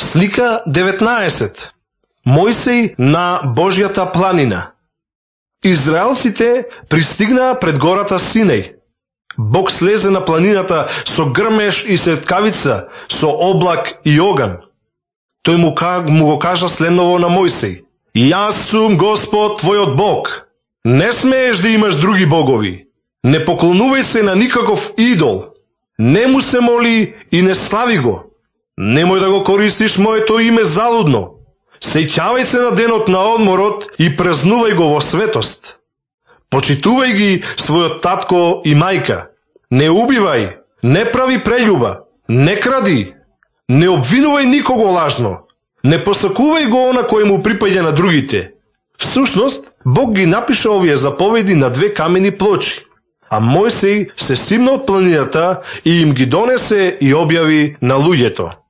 Слика 19. Мојсей на Божјата планина. Израелците пристигнаа пред гората Синеј. Бог слезе на планината со грмеш и светкавица, со облак и оган. Тој му го кажа следново на Мојсей: Јас сум Господ твојот Бог. Не смееш да имаш други богови. Не поклонувај се на никаков идол. Не му се моли и не слави го. Немој да го користиш моето име залудно. Сеќавај се на денот на одморот и празнувај го во светост. Почитувај ги својот татко и мајка. Не убивај, не прави прељуба, не кради, не обвинувај никого лажно. Не посакувај го она кој му припаѓа на другите. Всушност, Бог ги напиша овие заповеди на 2 камени плочи, а Мојсей се симна од планината и им ги донесе и објави на луѓето.